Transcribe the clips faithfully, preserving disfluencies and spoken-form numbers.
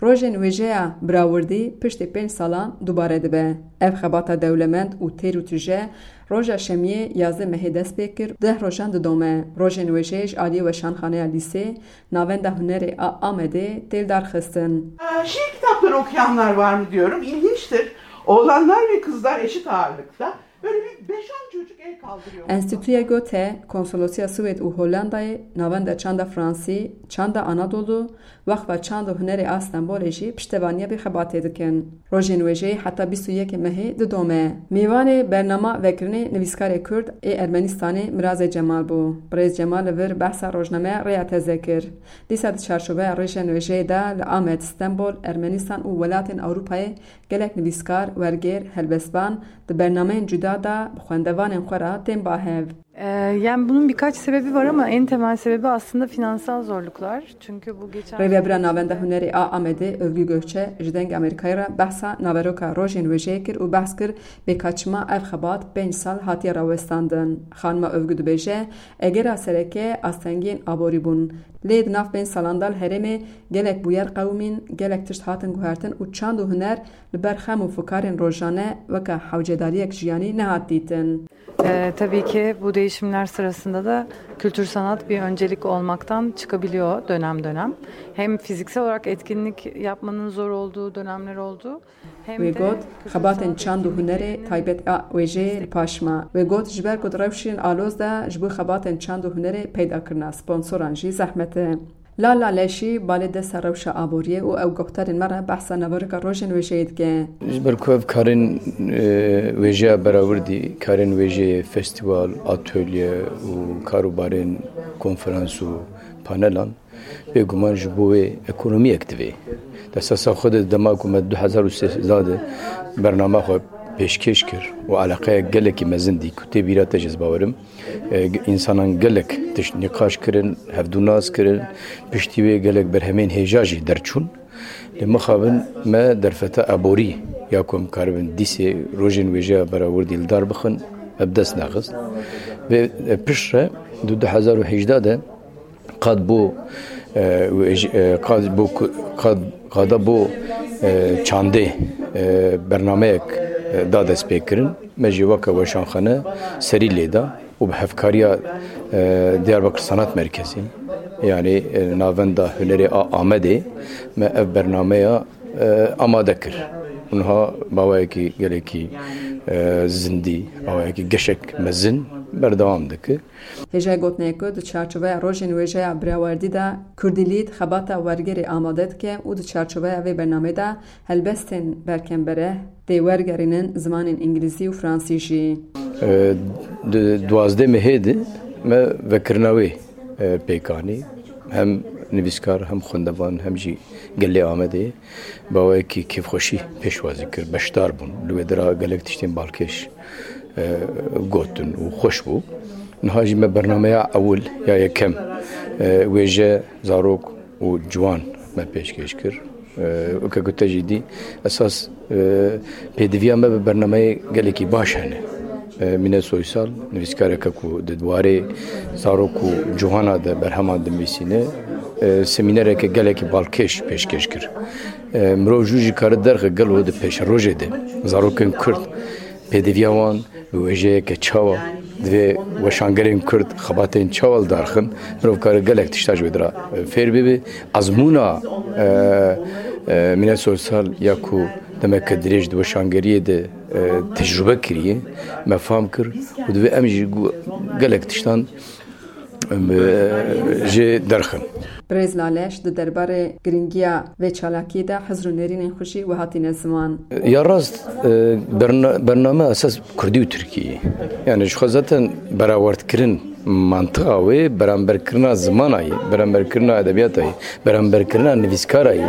Rojên wêjeya Birawirdî piştî pênc salan dubare dibe. Ev xebata dewlemend û têr û tije roja şemiyê yazdeh mehê dest pê kir, deh rojan didome. Rojên wêjeyê ji aliyê Weşanxaneya Lîsê, Navenda Hunerê a Amedê tê lidarxistin. Şiir kitapları okuyanlar var mı diyorum. İlginçtir. Oğlanlar ve kızlar eşit ağırlıkta. Böyle bir beş on çocuk el kaldırıyor. Enstîtuya Goethe, Konsolosiya Swêd û Hollandayê, Navenda Çanda Fransî, Çanda Anadolu, Wexfa Çand û Hunerê a Stenbolê jî piştevaniya vê xebatê dikin. Rojên wêjeyê heta bîst û yekê mehê didome. Mêvanê bernama vekirinê nivîskarê Kurd ê Ermenistanê Mirazê Cemal bû. Birêz Cemal li vir behsa rojnameya Rêya Teze kir. Dîsa di çarçoveya rêjên wêjeyê de li Amed, Stenbol, Ermenistan û welatên Ewropayê gelek nivîskar, wergêr, helbestvan di bernameyên cuda de bi xwendevanên xwe re tên ba hev. Ee, Yani bunun birkaç sebebi var ama en temel sebebi aslında finansal zorluklar. Çünkü bu geçen Rêvebira Navenda Hunerê a Amedê Övgü Gökçe ji Dengê Amerîkayê re behsa naveroka rojên wêjeyê kir û behs kir bê ka çima ev xebat pênc sal hatiye rawestandin. Xanima Övgü dibêje, egera sereke astengiyên aborî bûn. Lê di nav pênc salan de li herêmê gelek bûyer qewimîn, gelek tişt hatin guhertin û çand û huner li ber xem û fikarên rojane weke hewcedariyek jiyanî nehat dîtin. Ee, tabii ki bu değişimler sırasında da kültür sanat bir öncelik olmaktan çıkabiliyor dönem dönem. Hem fiziksel olarak etkinlik yapmanın zor olduğu dönemler oldu. Hem Wê de got, kültür xebatên sanat çand û hunerê etkinliklerinin taybet a wêjeyê li paş ma. Wê got, ji ber ku di rewşên aloz de ji bo xebatên çand û hunerê peyda kirina sponsoran jî zehmet e. Lal Laleşî balê desta rewşa aboriyê û ew guhdarên me re behsa naveroka rojên wêjeyê dike. Ji ber ku ev karên e, wêjeya berawrdî, karên wêjeyê festîval, atölye û karûbarên konferans û panelan, bêguman ji bo wê ekonomiyek divê. Di esasa xwe de dema ku me du hezar û sêzdeh de bernama xwe pêşkêş kir û eleqeyek gelekî mezin dî ku tê bîra te jî ez bawerim, e, însanan gelek tişt nîqaş kirin, hevdû nas kirin, piştî wê gelek berhemên hêja jî derçûn. Lê mixabin me derfeta eborî ya ku em karibin dîsê rojên wêjeya berawrdî li dar bixin, ev dest nexist. Vê e, pişt re di du hezar û hejdeh de qad bo e, wêj- e, qad bo ku- qad qada bo e, çandê e, bernameyek e, da destpêkirin. Me jî weke weşanxane serî lê da û bi hevkariya e, Diyarbakir Sanat Merkezi, yanî e, Navenda Hunerê a Amedê me ev bernameya e, amade kir. Û niha bawayekî gelekî e, zindî, bawayekî geşek mezin berdewam dike. Hêjayê gotinê ye ku di çarçoveya Rojên Wêjeya Birawerdî de Kurdîlît xebata wergerê amade dike û di çarçoveya vê bernameyê de helbestên berkembere tê wergerînin zimanên îngilîzî û fransî jî. Di duwazdeh mehê de me vekirina wê pêk anî. Hem nivîskar, hem xwendevan, hem jî gelê Amedê bawayekî kêfxweşî pêşwazî kir. Beşdar bûn. Li wê dira gelek tiştên balkêş gotin û xweş bû. Niha jî me bernameya ewil ya yekem, wêje, zarok û ciwan me pêşkêş kir. Weke ku te jî dî, esas pêdiviya me bi bernameyê gelekî baş hene. Mîne Soysal, nivîskareke ku di warê zarok û ciwana de berheman dinivîsîne, semînereke gelekî balkêş pêşkêş kir. Mirov jû jî kare derxe gelo di pêşerojê de zarokên Kurd pêdiviya wan bi wêjeyeke çawa divê weşangerên Kurd xebatên çawa li dar xin, mirov kare gelek tişta ji wê dira fêr bibe. Ezmûna e, e, Mîne Soysal ya ku demeke dirêj di weşangeriyê de e, tecrube kiriye, me fam kir û divê em jî gelek tiştan jê derxin. Birêz Laleş di derbarê giringiya vê çalakiyê de hizr û nêrînên xwe jî wiha tîne ziman. Ya rast, e, berna- bername esas kurdî û tirkî ye. Yani ji xwe zaten berawerdkirin mantiqa wê beramberkirina zimana ye, beramberkirina edebiyata ye, beramberkirina nivîskara ye,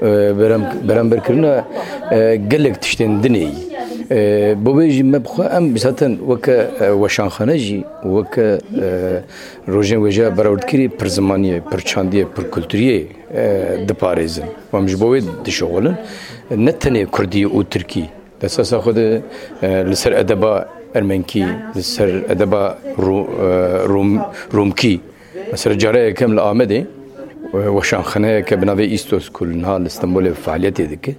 e, beram- beramberkirina e, gelek tiştên dinê ye. E, bo vê jî me bi xwe em zaten weke e, weşanxane jî, weke e, Rojên wêjeya berawrdkirî pirzimaniyê, pirçandiyê, pirkulturiyê e, diparêzin. Em ji bo wê dişixulin. Ne tenê kurdî û tirkî. Di esasa xwe de e, li ser edeba ermenkî, li ser edeba Ru- e, Rum- Rumkî. Mesela cara yekem li Amedê Weşanxaneyeke bi navê Istos ku niha li Stenbolê faaliyetê dike,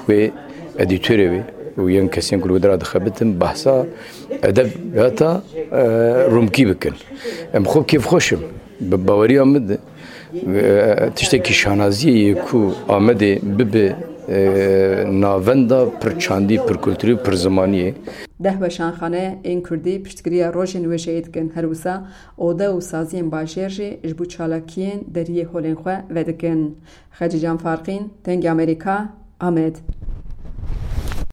wê edîtorê wê û yên kesên ku li wê dera dixebitin behsa edebiyata e, Rumkî bikin. Em xwe kêfxweş im. Bi baweriya min de e, tiştekî şanaziyê ye ku Amedê bibe e, navenda pir çandî, pir kulturî û pir zimanî ye. Deh weşanxane ên kurdî piştgiriya rojên wêjeyê dikin. Her wisa ode û saziyên bajêr jî ji bo çalakiyên deriyê holên xwe vedikin. Xecîcan Farqîn, Dengê Amerîka, Amed.